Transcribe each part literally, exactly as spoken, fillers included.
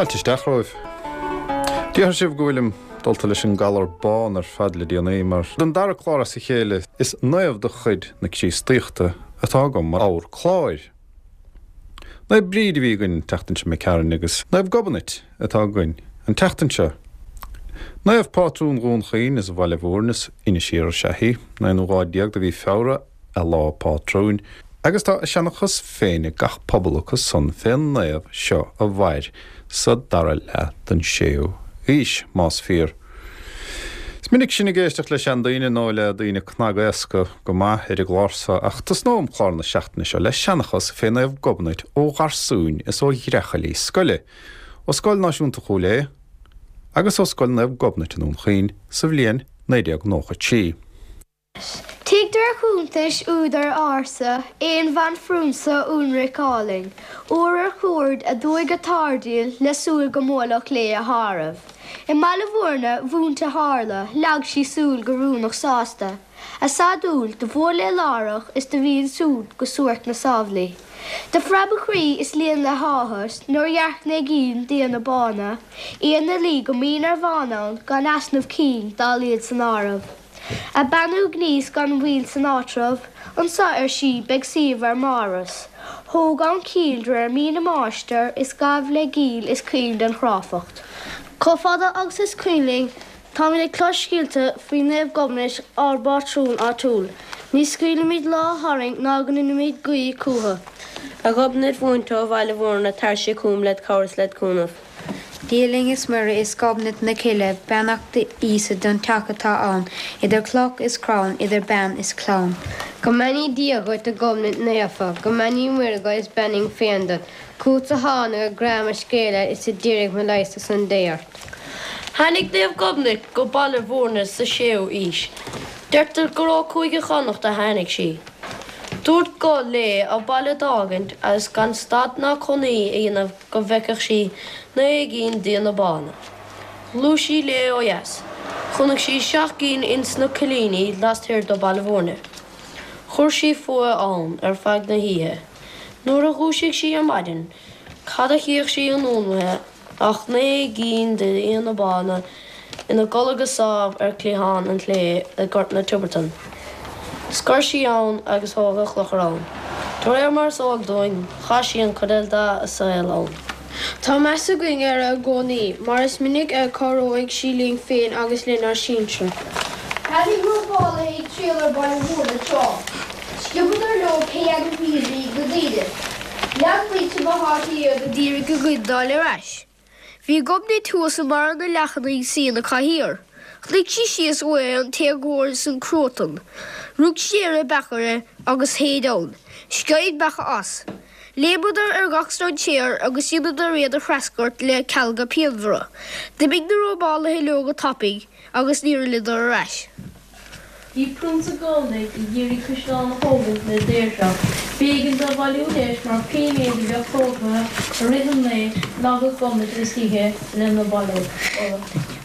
Fáilte isteach romhaibh. Déarfadh sibh go bhfuilim dulta leis an galar bán ar fad le déanaí mar don dara clár as a chéile is naomh de chuid na Críostaíochta atá agam mar ábhar cláir. Naomh Bríd a bhí againn an tseachtain seo imigh tharainn agus Naomh Gobnait atá againn an tseachtain seo. Naomh Pátrún Dhún Chaoin is Bhaile Mhúirne is Inis Oírr is ea í, an aonú lá déag de mhí Feabhra a lá pátrúin, agus tá a seanchas féin ag gach pobal acu san fén naomh seo a mhair sa dara leath den séú haois, más fíor. Is minic sinn ag éisteacht le seandaoine nó le daoine cnagaosta go maith ar an gclár seo ach tosnóm clár na seachtaine seo le seanchas fé Naomh Gobnait ó gharsúin is ó ghreachaillí scoile, ó Scoil Náisiúnta Chúil Aodha agus ó Scoil Naomh Gobnait i nDún Chaoin sa bhliain naoi déag nócha trí. Tuigtear cuntais údair ársa aon bhanphrionsa ionraic álainn, uair ar chuaird aduaidh go Tardíl le súil go mbuailfeadh léi a tharbh. I mBaile Mhúirne mhúinte tharla, leag sí súil go rúnach sásta. A sadúil do bhuail léi láithreach is do bhí ansúd go suairc na sábhlaí. Do phreab a croí is líon le háthas nuair dhearc naoi gcinn d'fhianna bána, iad 'na luí go mín ar bhán ann gan easnamh cinn dá laghad san áireamh. A beannú gníos gan mhoill san áitreabh, Anso, ar sí, beidh suíomh ár mbáras. Thóg ann cill de réir mí na máistir is gabh le giall is caoin den chráifeacht. Chomh fada agus is cuimhin linn, táimid ag clos scéalta faoi Naomh Gobnait, ár bpátrún áitiúil. Ní scaoilimid lá tharainn ná go ndeinimid guí chucu. A Ghobnait mhúinte ó Bhaile Mhúirne, tar-se chugam led chabhair is led chúnamh. Dia linn is Muire is Gobnait na cille, beannacht Íosa don teach atá ann, idir cloch is crann, idir bean is clann. Go mbeannaí Dia dhuit a Ghobnait naofa, go mbeannaí Muire dhuit is beannaím féin duit, Chugatsa tháinig a grá mo scéala is a d'iarraidh mo leigheas ar son Dé ort. Tháinig Naomh Gobnait go Baile Mhúirne sa séú aois. Deirtear gur ó Chúige Chonnacht a tháinig sí. Dúirt guth léi an baile d'fhágaint agus gan stad ná cónaí a dhéanamh go bhfeicfeadh sí naoi gcinn d'fhianna bána. Ghluais sí léi ó dheas. Chonaic sí seacht gcinn ins na coillíní lasthiar de Baile Mhúirne. Chuir sí fúithi ann ar feadh na hoíche. Nuair a dhúisigh sí ar maidin, cad a chífeadh sí anonn uaithi ach naoi gcinn d'fhianna bána ina gcodladh go sámh ar chliathán an chlé i nGort na Tiobratan. Scoir sí ann agus thóg a clochar ann. De réir mar is eol dúinn, chaith sí an chuid eile dá saol ann. Tá meas againn uirthi i gcónaí, mar is minic a chabhróidh sí linn féin agus lenár sinsir. Tháinig robálaithe ag triall ar Bhaile Mhúirne tráth. Sciobadar leo pé ainmhí a bhí ag na daoine. Lean muintir na háite iad a d'iarraidh a gcuid d'fháil ar ais. Bhí Gobnait thuas i mbarra na leacan ag suí ina cathaoir. Chonaic sí síos uaithi an t-éagóir is an cruatan. Rug sí ar a beachaire agus shéid ann. Sceith an beacha as. Léimeadar ar gach strainséir agus dheineadar iad a threascairt le cealga pianmhara. D'imigh na robálaithe leo go tapaidh agus níor fhilleadar ar ais. Bhí prionsa Gàidhlig ag iarraidh caisleán a thógaint le daoirseacht. B'éigean dó bailiú leis mar pé méid a bheadh tógtha i rith an lae leagfadh Gobnait istoíche lena bailiú.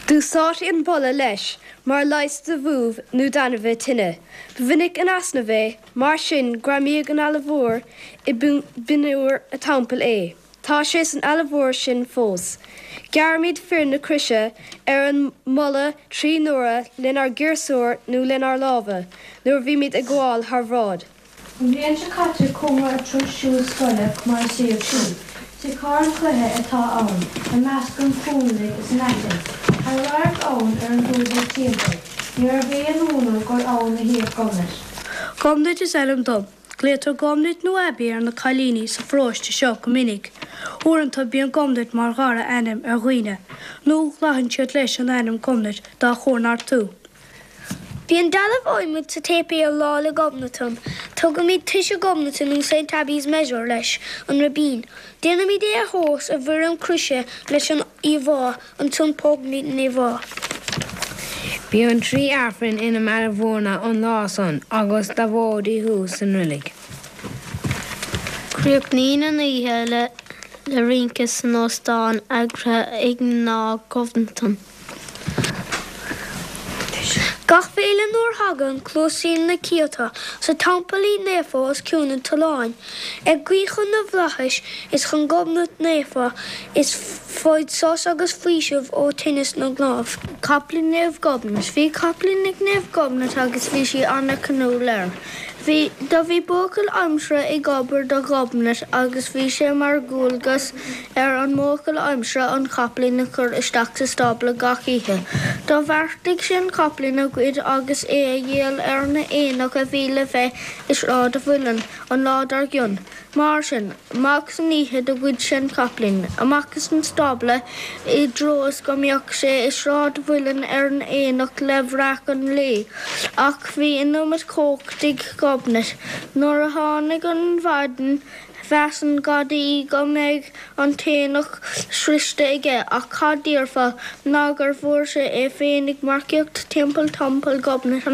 D'úsáidtí an boladh leis mar leigheas do bhuabh nó d'ainmhithe tinne. Ba mhinic in easnamh é, mar sin greamaíodh in Eala Mhór i bpinniúr a teampaill é. Tá sé san Eala Mhór sin fós. Gearraimid foirm na croise ar an mboladh trí n-uaire lenár gciarsúir nó lenár lámha nuair a bhímid ag gabháil thar bhráid. An bhliain seo caite chuamar ar turas siúil scoile mar an suíomh sin. Tigh carn cloiche atá ann, i measc an chúinligh is an aitinn. Tá radharc ann ar an dúiche timpeall. Ní raibh aon ionadh gur ann a shuíodh Gobnait. Gobnait is ainm dom. Glaotar Gobnait nó Abbie ar na cailíní sa pharóiste seo go minic. Uaireanta bíonn Gobnait mar dhara ainm ar dhaoine, nó glacann siad leis an ainm Gobnait dá chómhartú. Bíonn dealbh adhmaid sa tséipéal Lá 'le Gobnatan. Tugaimid toise Ghobnatan nó Saint Abbie's Measure leis an ribín. Déanaimid é a thomhas i bhfoirm croise leis an íomhá, ansan pógaimid an íomhá. Bíonn trí Aifreann i mBaile Mhúirne an lá san agus dá mhóidí thuas san roilig. Críochnaíonn an oíche le le rince san óstán eagraithe ag mná Ghobnatan. Gach féile nuair a thagann, cluasaím na cianta sa teampallín naofa os cionn an tolláin, ag guí chun na bhflaitheas is chun Gobnait naofa is faigh sos agus faoiseamh ó thinneas na gcnámh. Capaillín Naomh Gobnait. Bhí capaillín ag Naomh Gobnait agus bhí sí ana-chnúil air. Bhí Do bhí buachaill aimsire ag obair do Ghobnait agus bhí sé mar dhualgas ar an mbuachaill aimsire an capaillín a chur isteach sa stábla gach oíche. Do bheartaigh sé an capaillín a ghoid agus é a dhíol ar an aonach a bhí le bheith i Sráid an Mhuilinn an lá dár gcionn. Mar sin, amach san oíche do ghoid sé an capaillín, amach as an stábla i dtreo is go mbeadh sé i Sráid an Mhuilinn ar an aonach le breacadh an lae. Ach bhí an iomad cumhacht ag Gobnait. Nuair a tháinig an mhaidin, mheas an gadaí go mbeadh an t-aonach sroichte aige, ach cad déarfá ná gur fuair sé é féin ag marcaíocht timpeall Teampall Ghobnait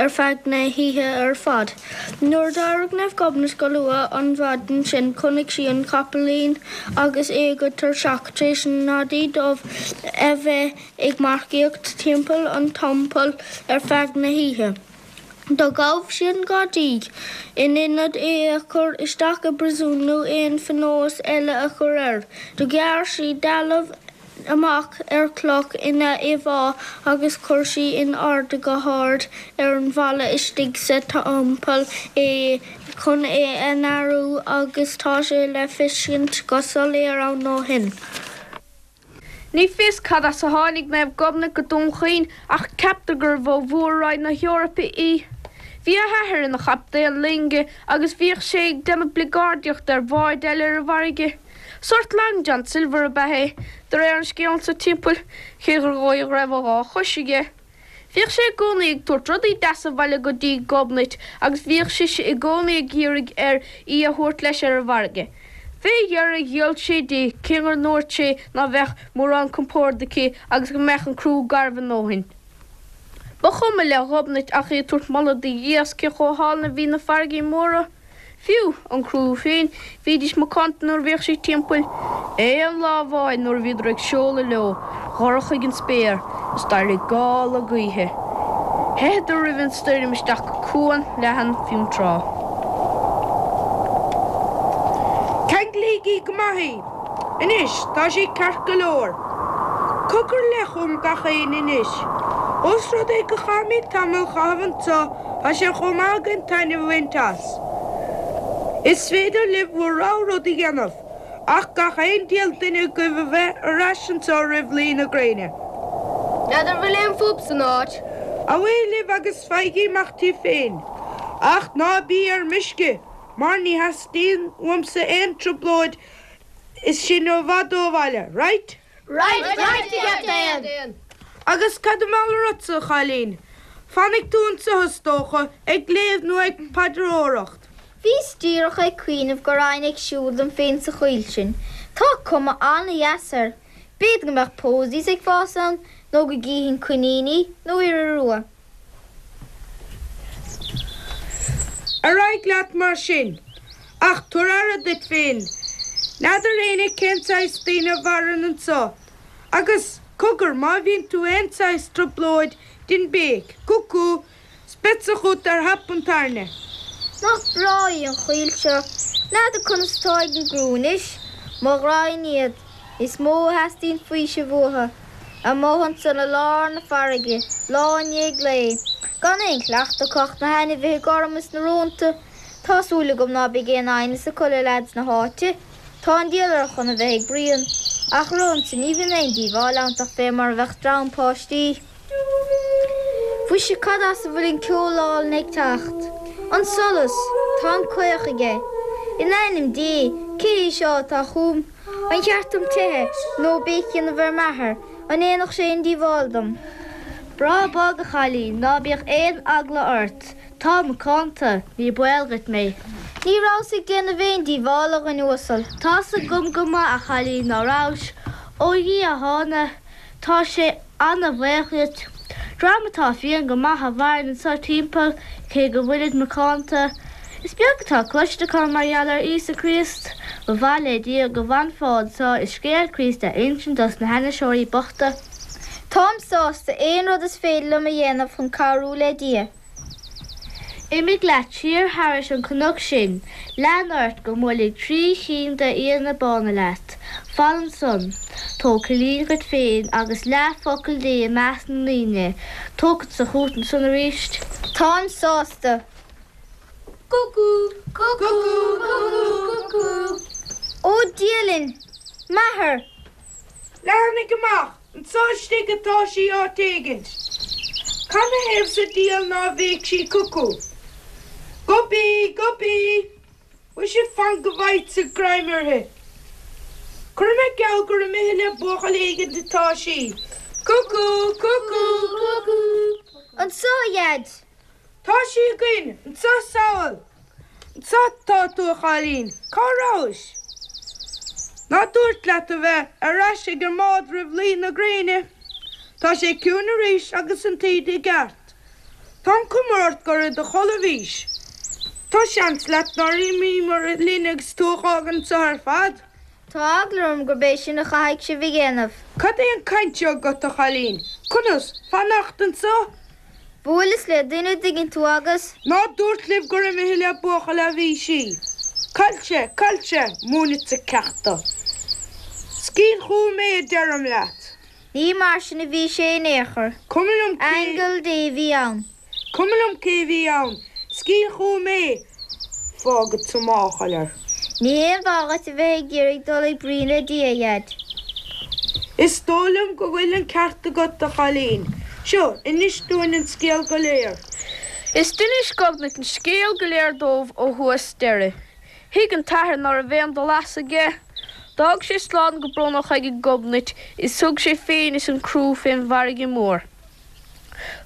ar feadh na hoíche ar fad. Nuair d'éirigh Naomh Gobnait go luath an mhaidin sin chonaic sí an capaillín agus é go tuirseach tar éis an ngadaí dubh a bheith ag marcaíocht timpeall an teampaill ar feadh na hoíche. Do ghabh sí an gadaí, in ionad é a chur isteach i bpríosún nó aon phionós eile a chur air. Do ghearr sí dealbh amach ar chloch ina íomhá agus chuir sí in airde go hard ar an bhalla istigh sa teampall é chun é a náiriú agus tá sé le feiscint go soiléir ann ó shin. Ní fios cad as a tháinig Naomh Gobnait go Dún Chaoin ach ceaptar gurbh ó Mhór-Roinn na hEorpa í. Bhí a hathair ina chaptaen loinge agus bhíodh sé ag déanamh bligeardaíochta ar bháid eile ar an bhfarraige. Sórt Long John Silver ab ea é, de réir an scéil anso timpeall, cé gur dhóigh go raibh a dhá chois aige. Bhíodh sé i gcónaí ag tabhairt rudaí deasa abhaile go dtí Gobnait agus bhíodh sise i gcónaí ag iarraidh air í a thabhairt leis ar an bhfarraige. Fé dheireadh gheall sé di, cé gur ndúirt sé ná bheadh mórán compoird aici agus go mbeadh an crú garbh a ndóthain. Ba chuma le Gobnait ach í ag tabhairt moladh do Dhia as cé chomh hálainn a bhí na farraigí móra. Fiú, an crú féin, bhídís macánta nuair a bhíodh sí timpeall. Aon lá amháin nuair a bhíodar ag seoladh leo, dhorchaigh an spéir is d'éirigh gála gaoithe. Theitheadar roimh an stoirm isteach go cuan leathan Fionntrá. Ceanglaígí go maith í. Anois, tá sí ceart go leor. Cogar le chugam gach éinne anois. Ós rud é go gcaithfimid tamall a chaitheamh anseo, tá sé chomh maith againn taitneamh a bhaint as. Is féidir libh bhur rogha rud a dhéanamh, ach gach aon diabhal duine agaibh a bheith ar ais anseo roimh luí na gréine. N'fheadar an bhfuil aon phub san áit? Away libh agus faighigí amach daoibh féin. Ach ná bí ar meisce, mar ní theastaíonn uaimse aon trioblóid is sinn i bhfad ó bhaile. Right? Right, right, a Chaptaen! Agus cad i mbeal ortsa, a chailín? Fanfaidh tú anseo, is dócha, ag léamh nó ag paidreoireacht. Bhíos díreach ag cuimhneamh go raghainn ag siúl dom féin sa choill sin. Tá cuma an-dheas air. B'fhéidir go mbeadh posies ag fás ann, nó go gcífinn coiníní, nó iora rua. Ar aghaidh leat mar sin. Ach tabhair aire duit féin. N'fheadar éinne cén saghas daoine a mhaireann anseo. Agus, cogar, má bhíonn tú aon saghas trioblóid, dein béic, Cúcú! 's beadsa chugat ar thap an tairne. Nach breá í an choill seo. N'fheadar conas atá ag an gcriú anois. Mo ghraidhin iad. Is mó a theastaíonn faoiseamh uathu. Amuigh ansan i lár na farraige, lá i ndiaidh lae. Gan aon chleachtadh acu ach na hainmhithe gorma is na rónta. Tá súil agam ná beidh aon aighneas acu le leaids na háite. Tá an diabhal orthu chun a bheith ag bruíon. Ach romhamsa ní bhíonn aon díobháil ann ach fé mar a bheadh dream páistí. Mhuise cad as a bhfuil an ceol álainn ag teacht? An solas! Tá an caoch aige. In ainm Dé, cé hé seo atá chugam? An cheart dom teitheadh, nó béic a dhéanamh ar m'athair? An ndéanfadh sé aon díobháil dom? Bráth bog, a chailín, ná bíodh aon eagla ort. Táim macánta, ní baol dhuit mé. Ní rabhas ag déanamh aon díobhála, a dhuine uasail. Tá's agam go maith, a chailín, ná rabhais. Ó Dhia a thána. Tá sé ana-bhaoch dhuit. Dream atá fiáin go maith a mhaireann anso timpeall, cé go bhfuilid macánta. Is beag atá cloiste acu mar gheall ar Íosa Críost. Ba mhaith le Dia go bhfanfá anso is scéal Críost a insint dos na hainniseoirí bochta. Táim sásta aon rud is féidir liom a dhéanamh chun cabhrú le Dia. Imigh leat siar thairis an cnoc sin, lean ort go mbuailfidh trí chinn d'fhianna bána leat. Fan ansan. Tóg cillín dhuit féin agus leath focal Dé i measc na ndaoine. Tógfadsa chugat ansan arís. Táim sásta. Cucú! Cucú! Cucú! Cucú! Ó Dia linn! M'athair! Leathnaigh amach! Anso istigh atá sí áit éigint. Canathaobh sa diabhal ná bhéic sí cucú? Gob í! Gob í! Mhuise fan go bhfaighidse greim uirthi. Cuirfidh mé geall gur imithe le buachaill éigint atá sí. Cucú! Cucú! Cucú! Anso, a Dhaid! Tá sí againn! Anso sall! Anso atá tú, a chailín! Cá rabhais? Ná dúrt leat a bheith ar ais ag an mbád roimh luí na gréine? Tá sé ciúin arís agus an taoide i gceart. Tá an cuma ort gur i do chodladh a bhís. Tá seans leat nár imíomar linn agus tú a dh'fhágaint anso ar fad. Tá eagla orm gurb é sin a chaithfidh sibh a dhéanamh. Cad é an chaint seo agat, a chailín? Conas, fanacht anso? Bhuaileas le duine an dtuigeann tú agus. Ná dúrt libh gur imithe le buachaill a bhí sí? Caillte, caillte, múinfeadsa ceacht di. Scaoil chugam é a deirim leat. Ní mar sin a bhí sé in aon chor. Cuma liom cé. Aingeal Dé a bhí ann. Cuma liom cé a bhí ann. Scaoil chugam é. Fágfadsa máchail air. Ní haon mhaith dhuit a bheith ag iarraidh dul ag bruíon le Dia, a Dhaid. Is dóigh liom go bhfuil an ceart agat, a chailín. Seo, inis dúinn an scéal go léir. Is d'inis Gobnait an scéal go léir dóibh ó thús deireadh. Thuig an t-athair ná raibh aon dul as aige. D'fhág sé slán go brónach aige Gobnait is thug sé féin is an criú fén bhfarraige mhór.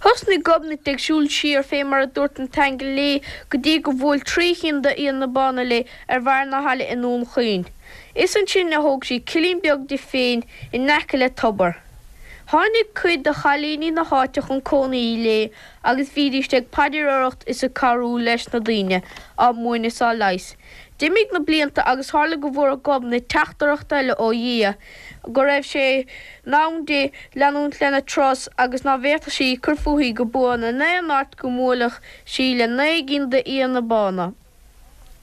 Thosnaigh Gobnait ag siúl siar fé mar a dúirt an t-aingeal léi go dtí go bhuail trí chinn d'fhianna bána léi ar bharr na haille i nDún Chaoin. Is ansin a thóg sí cillín beag di féin in aice le tobar. Tháinig cuid de chailíní na háite chun cónaí léi agus bhídíst ag paidreoireacht is ag cabhrú leis na daoine, á múineadh is á leigheas. D'imigh na blianta agus tharla go bhfuair Gobnait teachtaireacht eile ó Dhia go raibh sé in am di leanúint lena turas agus ná bhféadfadh sí cur fúithi go buan in aon áit go mbuailfeadh sí le naoi gcinn d'fhianna bána.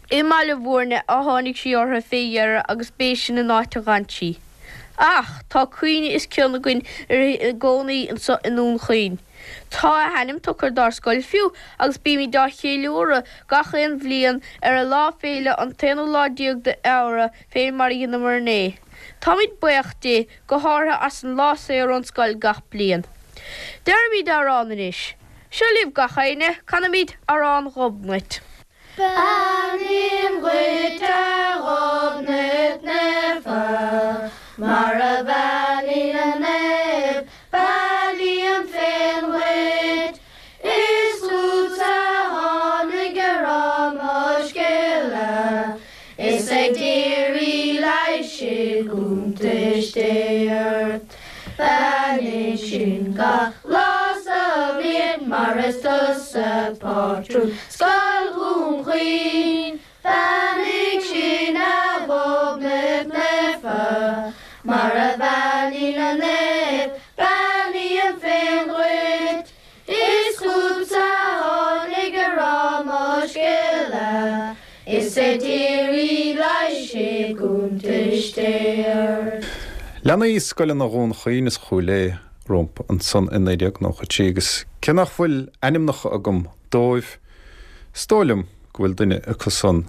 I mBaile Bhúirne a tháinig sí orthu fé dheireadh agus b'é sin an áit a dh'fhan sí. Ach tá cuimhne is cion againn uirthi i gcónaí anso i nDún Chaoin. Tá a hainm tugtha dár scoil fiú agus bímid á cheiliúradh gach aon bhliain ar a lá féile an t-aonú lá déag d'Fheabhra fé mar a dheineamar inné. Táimid buíoch di, go háirithe as an lá saor ón scoil gach bliain. Deirimid amhrán anois. Seo libh gach éinne, canaimid Amhrán Ghobnait. Beannaím dhuit a Ghobnait Naofa, mar a bheannaigh na naoimh, Beannaím féin dhuit. Is chugatsa a tháinig ag rá mo scéala, Is ag d'iarraidh leighis i gcuntais Dé ort. Beannaigh sinn gach lá sa bhliain mar is tusa pátrún Scoil Dhún Chaoin. Beannaigh sinn a Ghobnait Naofa, mar a bheannaigh na naoimh, beannaím féin dhuit. Is chugatsa a tháinig ag rá mo scéala, is ag d'iarraidh leighis i gcuntais Dé ort. Leanaí scoileanna Dhún Chaoin is Chúil Aodha rompu ansan i naoi déag nócha trí agus cé nach bhfuil ainmneacha agam dóibh, is dóigh liom go bhfuil duine acu san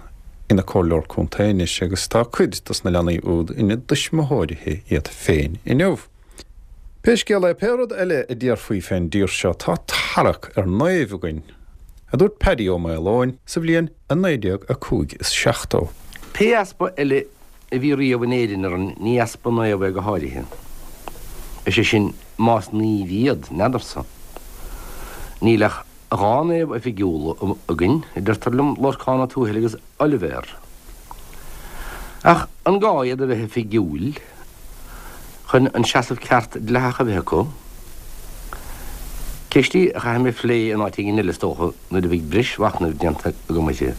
ina comhairleoir contae anois agus tá cuid dos na leanaí úd ina dtuismitheoirithe iad féin inniu. Pé scéal é, pé rud eile a déarfaí fén dtír seo, tá tarrac ar naoimh againn, a dúirt Paddy Ó Maoileoin sa bhliain a naoi déag a cúig is seachtó. Pé easpa eile a bhí riamh in Éirinn orainn, ní easpa naomh é go háirithe. Is é sin, más naoimh iad, n'fheadarsa. Níl ach dhá naomh oifigiúla againn, a deirtear liom, Lorcán Ó Tuathail agus Oilibhéar. Ach an gá iad a bheith oifigiúil chun an seasamh ceart dleathach a bheith acu? Ceist í a chaithfidh mé a phlé in áit éigin eile is dócha nuair a bheidh breis mhachnaimh déanta agam uirthi.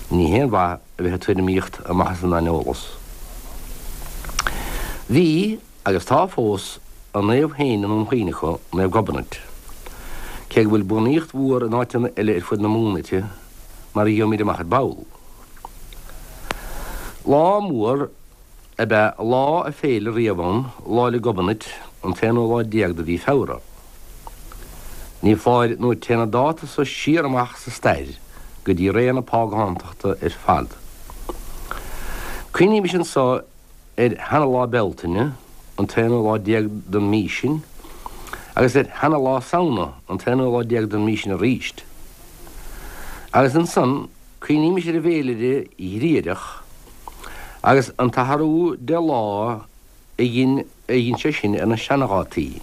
Ní haon mhaith a bheith ag tuairimíocht amach as an aineolas. Bhí, agus tá fós, a naomh féin i nDún Chaoin acu, Naomh Gobnait, cé go bhfuil buanaíocht mhór in áiteanna eile ar fud na Mumhan uirthi, mar a gheobhaimid amach ar ball. Lá mór ab ea lá a féile riamh ann, Lá 'le Gobnait, an t-aonú lá déag de mhí Feabhra. Ní foláir nó téann an dáta so siar amach sa stair go dtí ré na págántachta ar fad. Cuimhnímis anso ar sheana-Lá Bealtaine, an t-aonú lá déag den mhí sin, agus ar sheana-Lá Samhna, an t-aonú lá déag den mhí sin aríst. Agus ansan, cuimhnímis ar an bhféilire Ghriagrach agus an t-athrú deich lá a dhein a dhein sé sin ar na seanadhátaí.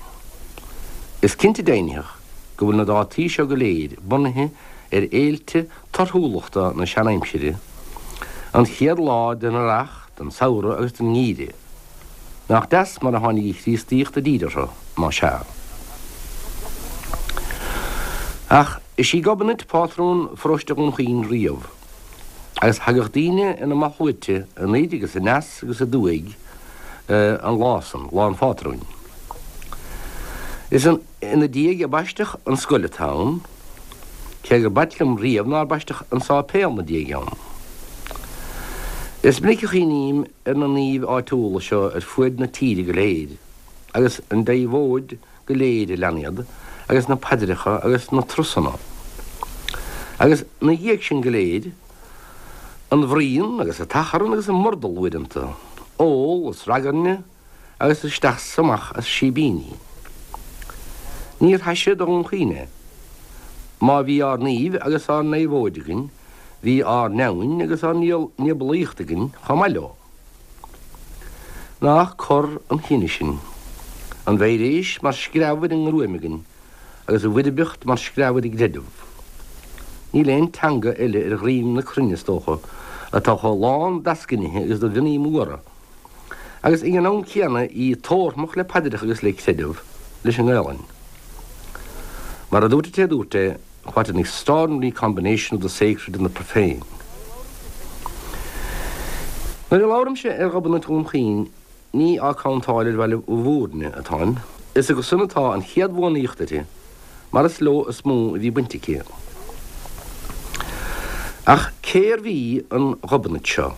Is cinnte deimhnitheach go bhfuil na dátaí seo go léir bunaithe ar fhéilte torthúlachta na seanaimsire, an chéad lá den earrach, den samhradh agus den ngeimhreadh. Nach deas mar a tháinig an Chríostaíocht i dtír orthu, más ea. Ach is í Gobnait pátrún pharóiste Dhún Chaoin riamh, agus thagadh daoine ina mballsluaite anoir agus aneas agus aduaidh an lá san, lá an phátrúin. Is ina diaidh a baisteadh an scoil atá ann, cé gur b'ait liom riamh nár baisteadh an sáipéal 'na diaidh ann. Is minic a chuimhním ar na naoimh áitiúla seo ar fuaid na tíre go léir, agus an deabhóid go léir a lean iad, agus na paidreacha agus na trusanna. Agus 'na dhiaidh sin go léir, an bhruíon agus an t-achrann agus an murdal uaireanta, ól is ragairne agus isteach 's amach as síbíní. Níor thaise do Dhún Chaoin é. Má bhí ár naoimh agus ár ndeabhóid againn, bhí ár ndeamhain agus ár ndiabalaíocht againn chomh maith leo. Nach cor an chine sinn. An mheiréis mar screamh ar an ngruaim againn agus an bhoirbeacht mar screamh ar an gcreideamh. Níl aon teanga eile ar dhroim na cruinne, is dócha, atá chomh lán d'eascainithe agus de mhionnaí móra, agus ag an am céanna í tórramach le paidreacha agus le creideamh, leis an nGaelainn. Mar a dúirt an té a dúirt é, what an extraordinary combination of the sacred and the profane. Nuair a labhraimse ar Ghobnait Dhún Chaoin, ní á cantáil ar Bhaile Mhúirne atáim, is acusan atá an chéad bhuanaíocht uirthi, mar is leo is mó a bhí baint aici. Ach cérbh í an Ghobnait seo?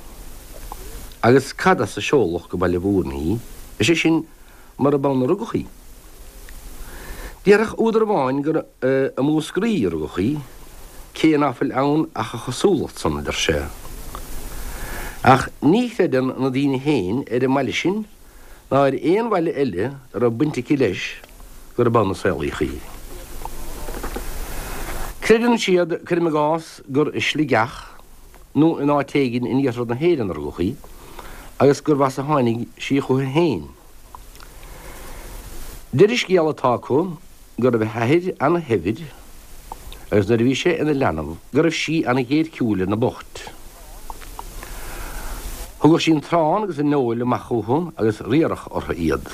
Agus cad as a seoladh go Baile Mhúirne í, is é sin, murab ann a rugadh í? Déarfadh údar amháin gur i Múscraí a rugadh í, cé ná fuil ann ach a chosúlacht san, a deir sé. Ach ní chreideann na daoine féin ar an mbaile sin ná ar aon bhaile eile a raibh baint aici leis gurb ann a saolaíodh í. Creideann siad, cuirim i gcás, gur i Sligeach nó in áit éigin in iarthar na hÉireann a rugadh í agus gurbh as a tháinig sí chucu féin. Deir an scéal atá acu go raibh a hathair ana-shaibhir agus nuair a bhí sé ina leanbh go raibh sí ana-ghéirchiúil ar na boicht. Thugadh sí an t-arán agus an fheoil amach chucu agus riaradh orthu iad.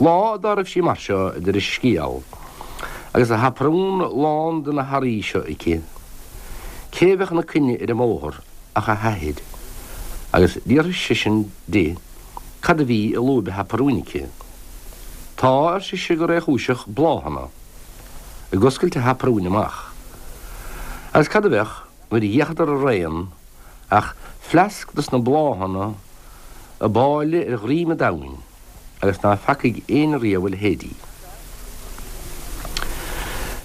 Lá dá raibh sí mar seo, a deir an scéal, agus a haprún lán de na hearraí seo aici, cé a bheadh ina coinne ar an mbóthar ach a hathair, agus d'fhiafraigh seisean di cad a bhí i lúib a haprúin aici. Tá, ar sise go réchúiseach, bláthanna. Ag oscailt a haprúin amach. Agus cad a bheadh, nuair a d'fhéachadar araon, ach fleasc dos na bláthanna ab áille ar dhroim an domhain, agus ná feacaigh éinne riamh a leithéidí.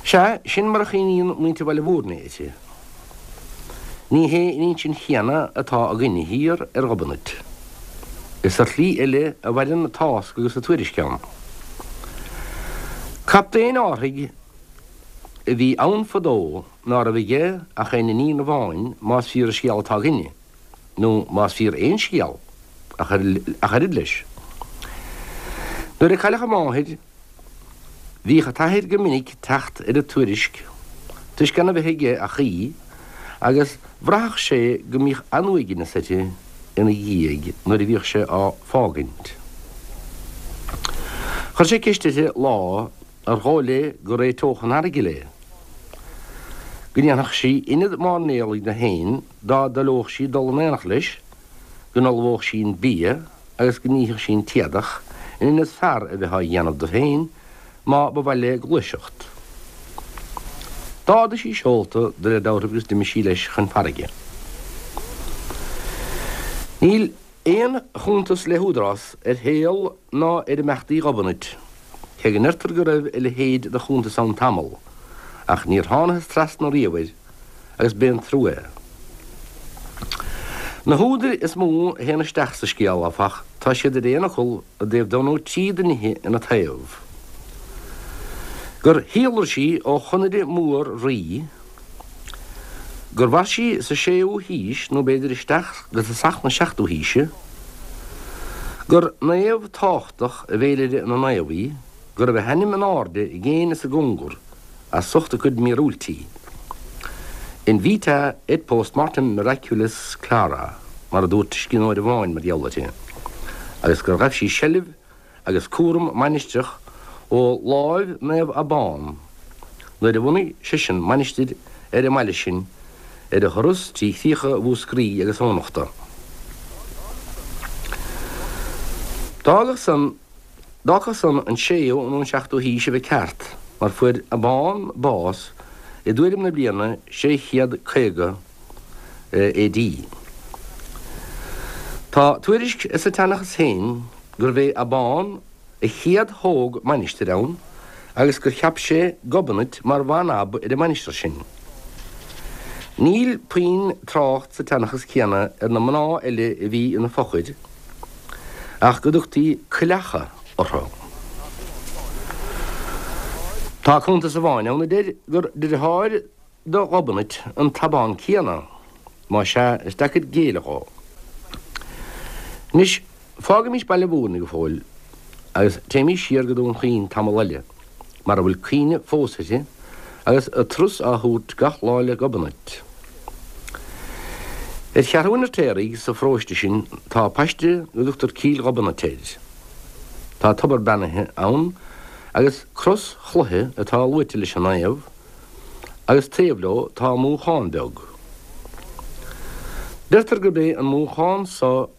Sea, sin mar a chuimhníonn muintir Bhaile Mhúirne uirthi. Ní hé an insint chéanna atá againne thiar ar Ghobnait. Is ar shlí eile a mhaireann an tásc agus an tuairisc ann. Captaen árthaigh a bhí ann fadó ná raibh aige ach aon iníon amháin, más fíor an scéal atá againne, nó más fíor aon scéal ach oiread leis. Nuair a cailleadh a máthair, Bhíodh an t-athair go minic teacht ar an tuairisc toisc gan a bheith aige ach í agus bhraitheadh sé go mbíodh an-uaigneas uirthi ina dhiaidh nuair a bhíodh sé á fágaint. Chuir sé ceist uirthi lá ar dhóigh léi go réiteodh an fharraige léi, go ndéanfadh sí ionad mairnéalaigh di féin dá dtoileodh sí dul in aonacht leis, go n-ullmhódh sí an bia agus go nífeadh sí an t-éadach in ionad fear a bheith á dhéanamh di féin má ba mhaith léi gluaiseacht. D'ardaigh sí seolta de réir dealraimh agus d'imigh sí leis chun farraige. Níl aon chuntas le húdarás ar shaol ná ar imeachtaí Ghobnait, cé go ndeirtear go raibh a leithéid de chuntas ann tamall, ach níor thánathas trasna riamh air agus b'é an trua é. Na húdair is mó a théann isteach sa scéal, áfach, tá siad ar aon fhocal i dtaobh dó nó trí de nithe ina taobh. Gur shíolraigh sí ó Chonaire Mór Rí, gur mhair sí sa séú haois nó b'fhéidir isteach go tosach na seachtú haoise, gur naomh tábhachtach i bhféilire na naomh í, go raibh a hainm in airde i gcéin is i gcóngar as ucht a cuid míorúiltí. In vita et post mortem miraculis clara, mar a dúirt scríbhneoir amháin mar gheall uirthi, agus gur ghabh sí seilbh agus cúram mainistreach ó láimh Naomh Abán nuair a bhunaigh seisean mainistir ar an mbaile sin ar a thuras trí chríocha Mhúscraí agus Eoghanachta. D'fhágfadh san D'fhágfadh san an séú nó an seachtú haois a bheith ceart, mar fuair Abán bás i dtuairim na bliana sé chéad caoga A.D. Tá tuairisc sa tseanchas féin gurbh é Abán a chéad thóg mainistir ann agus gur cheap sé Gobnait mar bhan-ab ar an mainistir sin. Níl puinn trácht sa tseanchas céanna ar na mná eile a bhí ina fochair, ach go dtugtaí coileacha orthu. Tá cuntas amháin ann a deir gur deartháir do Ghobnait an tAbán céanna, más ea, is deacair géilleadh dhó. Anois, fágaimis Baile Mhúirne go fóill agus téimís siar go Dún Chaoin tamall eile, mar a bhfuil cuimhne fós uirthi agus turas á thabhairt gach lá le Gobnait. Ar Cheathrúin an Fheirtéaraigh sa pharóiste sin tá paiste go dtugtar Cill Ghobnait air. Tá tobar beannaithe ann agus cros chloiche atá luaite leis an naomh agus taobh leo tá múchán beag. Deirtear gurb é an múchán so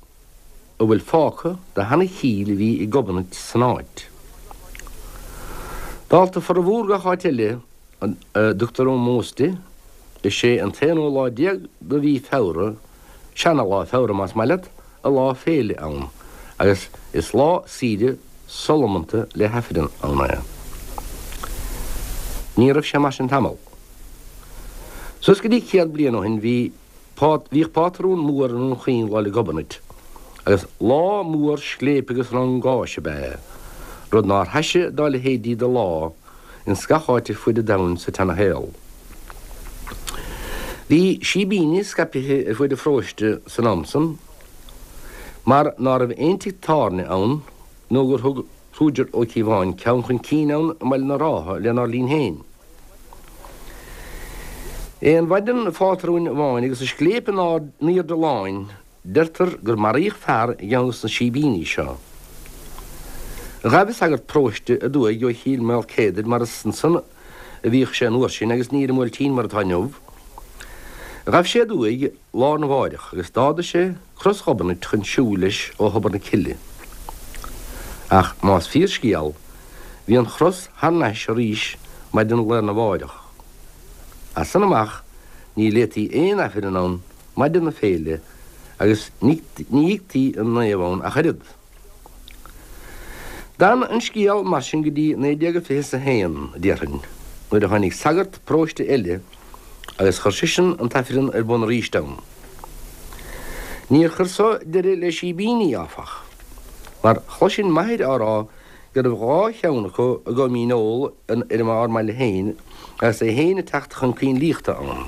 a bhfuil fágtha de sheana-chill a bhí ag Gobnait san áit. Dálta formhór gach áit eile a dtugtar ómós di, is é an t-aonú lá déag de mhí Feabhra, seana-lá Feabhra más maith leat, a lá féile ann, agus is lá saoire solamanta le hAifreann ann é. Ní raibh sé mar sin tamall. Suas go dtí céad bliain ó shin bhí bhíodh pátrún mór i nDún Chaoin Lá 'le Gobnait, agus lá mór scléipe agus rangáis ab ea é, rud nár thaise dá leithéidí de lá ins gach áit ar fuaid an domhain sa tseana-shaol. Bhí síbíní scaipthe ar fuaid an pharóiste san am san, mar ná raibh aon tigh tábhairne ann nó gur thug Ruaigear Ó Cíobháin ceann chun cinn ann i mBaile na Rátha lenár linn féin. Aon mhaidin phátrúin amháin agus an scléip in airde láin, deirtear gur maraíodh fear i gceann de na síbíní seo. Ghabh sagart paróiste aduaidh ó Chill Maoilcéadair mar is ansan a bhíodh sé an uair sin agus ní ar an mBuailtín mar atá inniu. Ghabh sé aduaidh lá arna mháireach agus d'ardaigh sé cros Ghobnait chun siúil leis ó thobar na cille. Ach más fíor scéal, bhí an chros thar n-ais arís maidin lá arna mháireach. As san amach ní léití aon Aifreann ann maidin na féile agus ní íoctaí an naomh ann ach oiread. D'fhan an scéal mar sin go dtí naoi déag fiche is a haon, déarfainn, nuair a tháinig sagart paróiste eile agus chuir seisean an t-aifreann ar bun arís ann. Níor chuir so deireadh le síbíní, áfach, mar chloisinn m'athair á rá go raibh dhá cheann acu i gCom Dhíneol ar ár mbaile féin agus é féin ag teacht chun coinlíochta ann.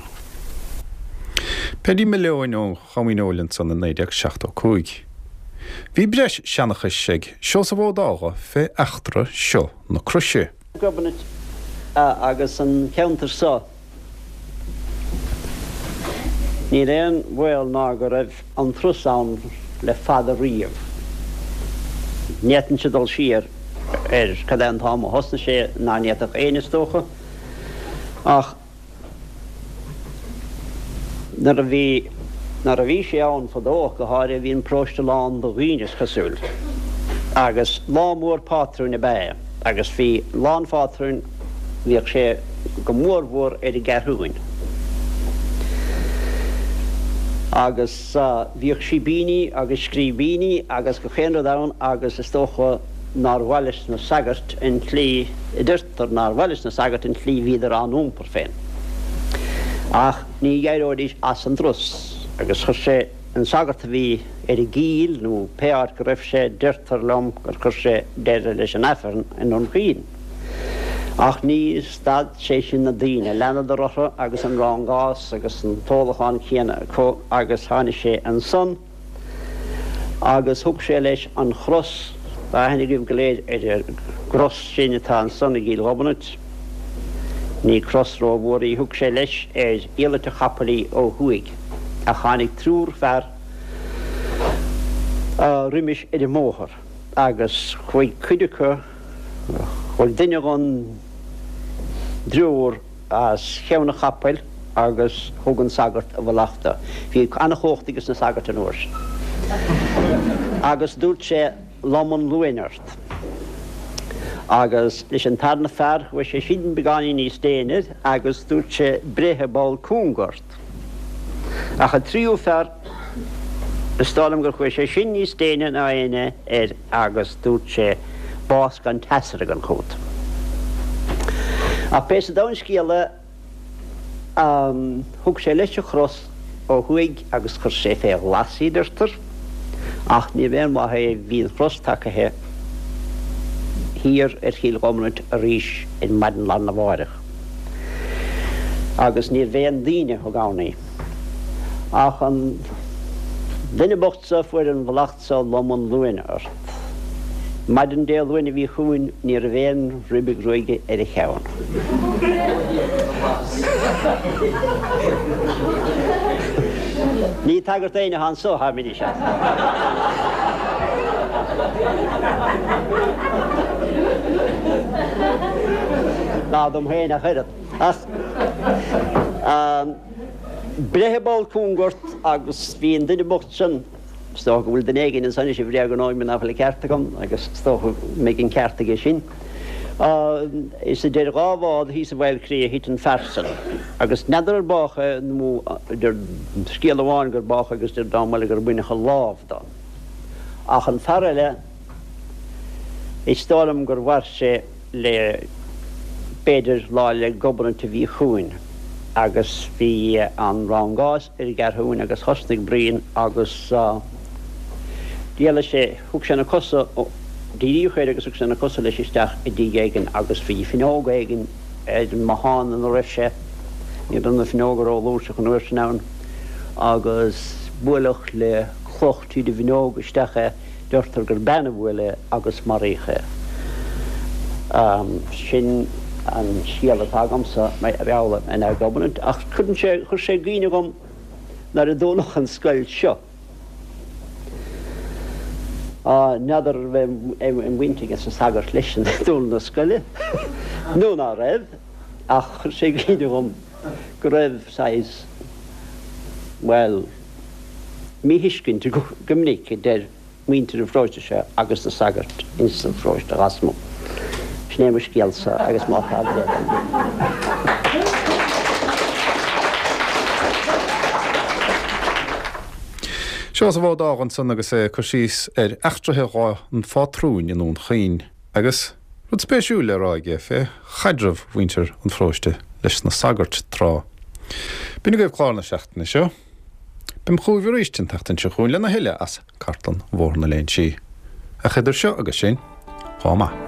Peaidí Mhill Eoin ó Chom Dhíneol ansan i naoi déag seachtó cúig. Bhí breis seanchais ag Seosamh Ó Dágha fé eachtra seo na croise. Gobnait agus an ceantar so. Níl aon bhaol ná go raibh an turas ann le fada riamh. Ní fhéadfainnse dul siar ar cad é an t-am a thosnaigh sé ná ní fhéadfadh éinne is dócha, ach nuair a bhí nuair a bhí sé ann fadó ach go háirithe bhí an paróiste lán de dhaoine is cosúil. Agus lá mór pátrúin ab ea é, agus bhí Lá an Phátrúin, bhíodh sé go mórmhór ar an gCeathrúin. Agus bhíodh síbíní agus scríbíní agus gach aon rud ann agus is dócha nár mhaith leis na sagairt an tslí, a deirtear nár mhaith leis na sagairt an tslí bhíodar á n-iompar féin. Ach ní éireoidís as an dturas agus chuir sé an sagart a bhí ar an gCill nó pé áit go raibh sé, deirtear liom gur chuir sé deireadh leis an Aifreann i nDún Chaoin. Ach ní stad sé sin na daoine, leanadar orthu agus an rangás agus an t-ólachán céanna acu agus tháinig sé ansan agus thug sé leis an chros, tá aithne agaibh go léir ar an gcros sin atá ansan i gCill Ghobnait, ní cros rómhór í, thug sé leis ar iallait a chapaill í ó thuaidh ach tháinig triúr fear roimis ar an mbóthar agus chuaigh cuid acu, chuaigh duine dhon dtriúr as cheann an chapaill agus thug an sagart a mhallacht dó. Bhí an-chumhacht ages na sagairt an uair sin. Agus dúirt sé, Lom an Luain ort. Agus leis an tarna fear chuaigh sé sin beagáinín níos déine agus dúirt sé, Breith i bpoll cúng ort. Ach an tríú fear, is dóigh liom gur chuaigh sé sin níos déine ná éinne air agus dúirt sé, Bás gan teasargan chugat. Ach pé sa domhan scéal é, thug sé leis an chros ó thuaidh agus chuir sé fé ghlas í, deirtear. Ach níorbh aon mhaith é, bhí an chros tagaithe thiar ar Chill Ghobnait arís ar maidin lá arna mháireach agus níorbh aon duine a thug ann í ach an duine bocht so a fuair an mhallacht so lom an Luain ort. Maidin Dé Luain a bhí chugainn ní raibh aon ribe gruaige ar a cheann. Ní ag tagairt d'éinne atá anso atáim anois ach. Ná dom féin ach oiread. Ach breith i bpoll cúng ort agus bhí an duine bocht sin, Is dócha go bhfuil duine éigin anso anois a bhréagnóidh mé nach bhfuil an ceart agam agus is dócha go mbeidh an ceart aige sin. Is idir dhá bhád thíos i bhFailchrí a thit an fear san agus n'fheadar ar bádh é nó deir scéal amháin gur bádh é agus deir dream eile gur baineadh a lámh do. Ach an fear eile is dóigh liom gur mhair sé le b'fhéidir Lá 'le Gobnait a bhí chugainn agus bhí an rangás ar an gCeathrúin agus thosnaigh bruíon agus d'éalaigh sé, thug sé na cosa, díríodh air agus thug sé na cosa leis isteach i dtigh éigin agus bhí fuinneog éigin ar an mbothán ina raibh sé, ní raibh na fuinneoga rófhlúirseach an uair sin ann, agus buaileadh le cloch tríd an bhfuinneog isteach é, deirtear gur bean a bhuail é agus maraíodh é. Sin an scéal atá agamsa mar gheall ar Naomh Gobnait ach cuireann sé, chuir sé i gcuimhne dhom nuair a dúnadh an scoil seo. N'fheadar an raibh aon bhaint aige na sagairt leis an dúnadh na scoile nó ná raibh ach chuir sé i gcuimhne dhom go raibh saghas, bhuel, míthuiscint go minic idir muintir an pharóiste seo agus na sagairt ins an pharóiste lasmuigh. Sin é mo scéalsa agus má tá bréag ann. Seosamh Ó Dágh ansan agus é ag cur síos ar eachtraithe Lá an Phátrúin i nDún Chaoin agus rud spéisiúil le rá aige fé chaidreamh mhuintir an pharóiste leis na sagairt tráth. B'in agaibh clár na seachtaine seo. Beam chugaibh arís an tseachtain seo chugainn lena thuilleadh as cartlann Bhóthar na Léinsí. Ach idir seo agus sin, lá maith.